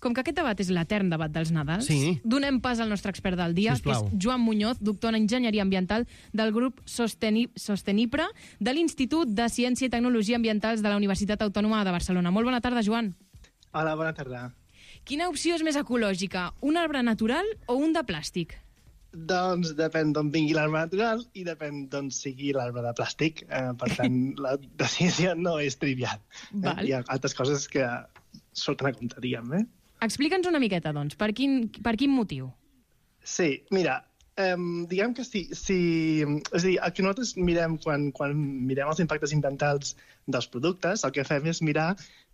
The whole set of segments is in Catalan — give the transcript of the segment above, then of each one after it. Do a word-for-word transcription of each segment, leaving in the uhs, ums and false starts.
Com que aquest debat és l'etern debat dels Nadals, sí. donem pas al nostre expert del dia, Sisplau. que és Joan Muñoz, doctor en Enginyeria Ambiental del grup Sosteni Sostenipra de l'Institut de Ciència i Tecnologia Ambientals de la Universitat Autònoma de Barcelona. Molt bona tarda, Joan. Hola, bona tarda. Quina opció és més ecològica, un arbre natural o un de plàstic? Doncs depèn d'on vingui l'arbre natural i depèn d'on sigui l'arbre de plàstic. Eh, per tant, la decisió no és trivial. Eh? Hi ha altres coses que surten a compte, diguem, eh? Explica'ns una miqueta, doncs, per quin, per quin motiu? Sí, mira, eh, diguem que si, si... És a dir, el que nosaltres mirem quan, quan mirem els impactes ambientals dels productes, el que fem és mirar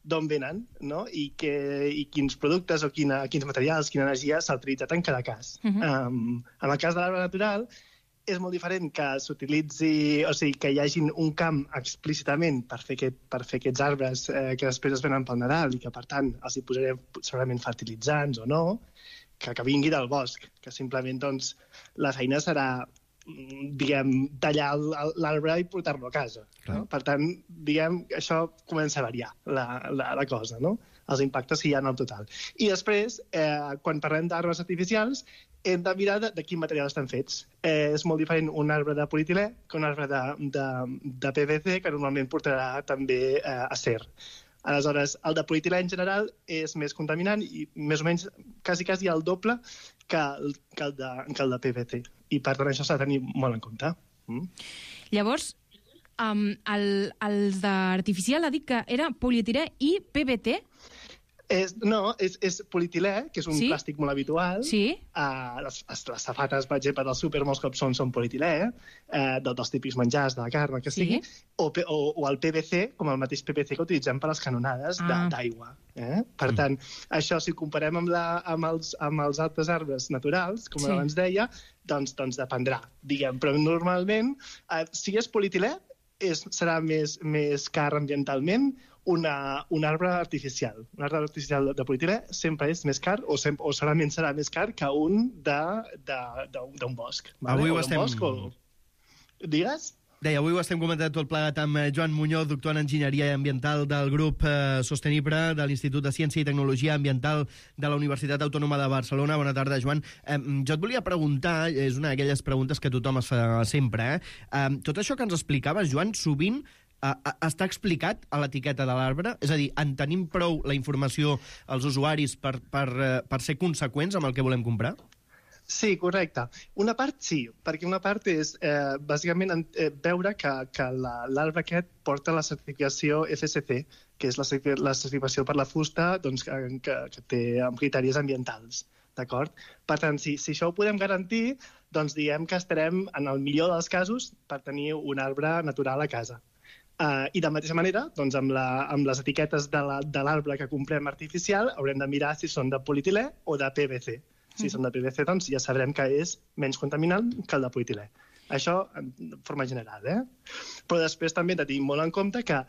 d'on venen, no? I, que, i quins productes o quina, quins materials, quina energia s'ha utilitzat en cada cas. Uh-huh. um, en el cas de l'arbre natural, és molt diferent que s'utilitzi, o sigui, que hi hagi un camp explícitament per fer, aquest, per fer aquests arbres eh, que després es venen pel Nadal i que, per tant, els hi posarem segurament fertilitzants o no, que, que vingui del bosc, que simplement, doncs, la feina serà, diguem, tallar l'arbre i portar-lo a casa. No? Per tant, diguem, això comença a variar la, la, la cosa, no? Els impactes que hi ha en el total. I després, eh, quan parlem d'arbres artificials, hem de mirar de, de quin material estan fets. Eh, és molt diferent un arbre de politilè que un arbre de, de, de P V C, que normalment portarà també eh, acer. Aleshores, el de politilè en general és més contaminant i més o menys quasi, quasi el doble que el, que el, de, que el de P V C. I per tant això s'ha de tenir molt en compte. Mm? Llavors, um, el, els d'artificial ha dit que era polietilè i P V T? És, no, és, és politilè, que és un sí? plàstic molt habitual. Sí. Uh, les, les safates, per exemple, del súper molts cops són, són politilè, uh, dels típics menjars, de la carn, que sí? sigui, o, o, o el P V C, com el mateix P V C que utilitzem per les canonades ah. d'aigua. Eh? Per tant, això, si ho comparem amb, la, amb, els, amb els altres arbres naturals, com sí. abans deia, doncs, doncs dependrà, diguem. Però normalment, uh, si és politilè, és, serà més, més car ambientalment una, un arbre artificial. Un arbre artificial de, de politilè sempre és més car o, sempre, o segurament serà més car que un d'un bosc. Vale? Avui ho o estem... Bosc, o... Digues? Deia, avui ho estem comentant tot plegat amb Joan Muñoz, doctor en Enginyeria Ambiental del grup eh, Sostenipra de l'Institut de Ciència i Tecnologia Ambiental de la Universitat Autònoma de Barcelona. Bona tarda, Joan. Eh, jo et volia preguntar, és una d'aquelles preguntes que tothom es fa sempre, eh? eh tot això que ens explicaves, Joan, sovint eh, està explicat a l'etiqueta de l'arbre? És a dir, en tenim prou la informació als usuaris per, per, eh, per ser conseqüents amb el que volem comprar? Sí, correcte. Una part sí, perquè una part és eh, bàsicament eh, veure que, que l'arbre aquest porta la certificació F S C, que és la, la certificació per la fusta doncs, que, que, que té amb criteris ambientals. D'acord? Per tant, si, si això ho podem garantir, doncs diem que estarem, en el millor dels casos, per tenir un arbre natural a casa. Uh, I de mateixa manera, doncs, amb, la, amb les etiquetes de l'arbre que comprem artificial, haurem de mirar si són de politilè o de P V C. Si són de P V C, doncs ja sabrem que és menys contaminant que el de politilè. Això de forma general, eh? Però després també hem de tenir molt en compte que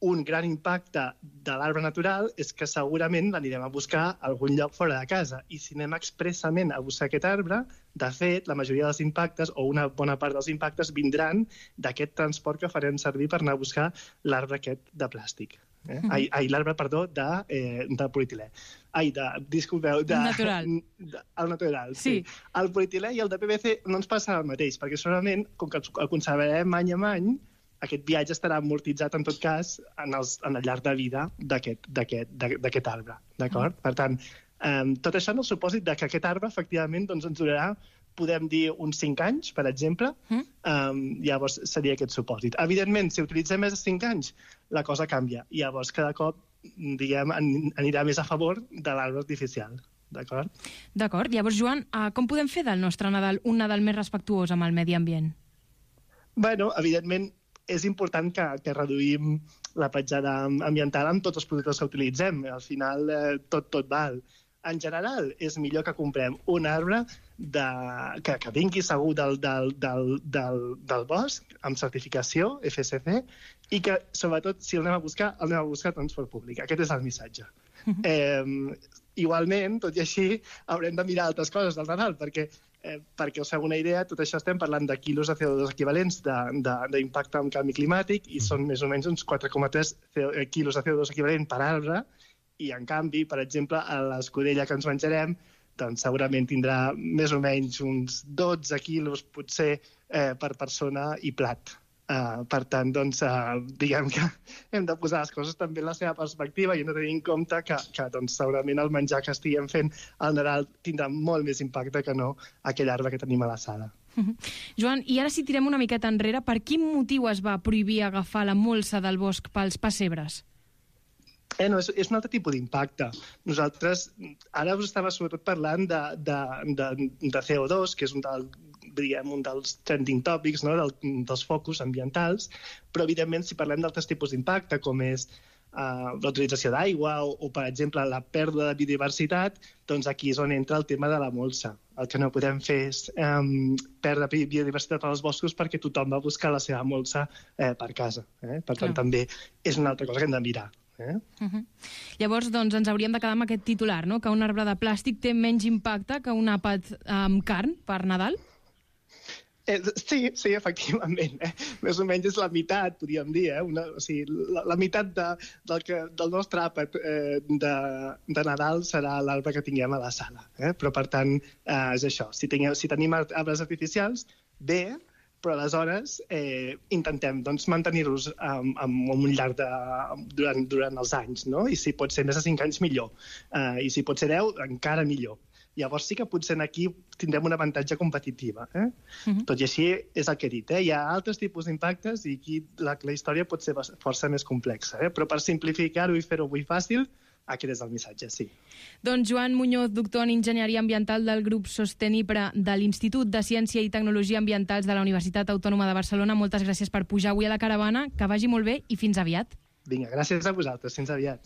un gran impacte de l'arbre natural és que segurament l'anirem a buscar a algun lloc fora de casa. I si anem expressament a buscar aquest arbre, de fet, la majoria dels impactes, o una bona part dels impactes, vindran d'aquest transport que farem servir per anar a buscar l'arbre aquest de plàstic. Eh? Mm-hmm. Ai, ai l'arbre, perdó, de, eh, de politilè. Ai, de, disculpeu, de... Natural. De, el natural, sí. sí. El politilè i el de P V C no ens passa el mateix, perquè segurament, com que el conservarem any a any, aquest viatge estarà amortitzat, en tot cas, en, els, en el llarg de vida d'aquest arbre. D'acord? Mm. Per tant, eh, tot això en el supòsit de que aquest arbre, efectivament, doncs, ens durarà, podem dir, uns cinc anys, per exemple, mm. um, llavors seria aquest supòsit. Evidentment, si utilitzem més de cinc anys, la cosa canvia. Llavors, cada cop, diguem, anirà més a favor de l'arbre artificial. D'acord? D'acord. Llavors, Joan, com podem fer del nostre Nadal un Nadal més respectuós amb el medi ambient? Bueno, evidentment, és important que, que reduïm la petjada ambiental amb tots els productes que utilitzem. Al final, eh, tot, tot val. En general, és millor que comprem un arbre de, que, que vingui segur del, del, del, del, del bosc, amb certificació F S C, i que, sobretot, si el anem a buscar, el anem a buscar a transport públic. Aquest és el missatge. Uh-huh. eh, igualment, tot i així, haurem de mirar altres coses del Nadal, perquè, eh, perquè us feu una idea, tot això estem parlant de quilos de C O dos equivalents d'impacte amb canvi climàtic, i són més o menys uns quatre coma tres quilos de C O dos equivalent per arbre, I, en canvi, per exemple, a l'escudella que ens menjarem, doncs segurament tindrà més o menys uns dotze quilos, potser, eh, per persona i plat. Uh, per tant, doncs, uh, diguem que hem de posar les coses també en la seva perspectiva i hem de tenir en compte que, que doncs, segurament el menjar que estiguem fent al Nadal tindrà molt més impacte que no aquell arbre que tenim a la sala. Joan, i ara si tirem una miqueta enrere, per quin motiu es va prohibir agafar la molsa del bosc pels pessebres? Eh, no, és, és un altre tipus d'impacte. Nosaltres, ara us estava sobretot parlant de, de, de, de C O dos, que és un, del, diguem, un dels trending topics, no? del, dels focus ambientals, però, evidentment, si parlem d'altres tipus d'impacte, com és uh, la utilització d'aigua o, o, per exemple, la pèrdua de biodiversitat, doncs aquí és on entra el tema de la molsa. El que no podem fer és um, perdre biodiversitat als boscos perquè tothom va buscar la seva molsa eh, per casa. Eh? Per tant, Clar. també és una altra cosa que hem de mirar. Eh? Uh-huh. Llavors, doncs, ens hauríem de quedar amb aquest titular, no? Que un arbre de plàstic té menys impacte que un àpat amb carn per Nadal? Eh, sí, sí, efectivament. Eh? Més o menys és la meitat, podríem dir. Eh? Una, o sigui, la, la meitat de, del, que, del nostre àpat eh, de, de Nadal serà l'arbre que tinguem a la sala. Eh? Però, per tant, eh, és això. Si, tinguem, si tenim arbres artificials, bé, però aleshores eh, intentem doncs, mantenir-los um, amb un llarg de, durant, durant els anys, no? I si pot ser més de cinc anys, millor. Uh, I si pot ser deu, encara millor. Llavors sí que potser aquí tindrem un avantatge competitiva. Eh? Uh-huh. Tot i així és el que he dit. Eh? Hi ha altres tipus d'impactes i aquí la, la història pot ser força més complexa. Eh? Però per simplificar-ho i fer-ho avui fàcil, aquest és el missatge, sí. Doncs Joan Muñoz, doctor en Enginyeria Ambiental del grup Sostenipre de l'Institut de Ciència i Tecnologia Ambientals de la Universitat Autònoma de Barcelona, moltes gràcies per pujar avui a la caravana, que vagi molt bé i fins aviat. Vinga, gràcies a vosaltres, fins aviat.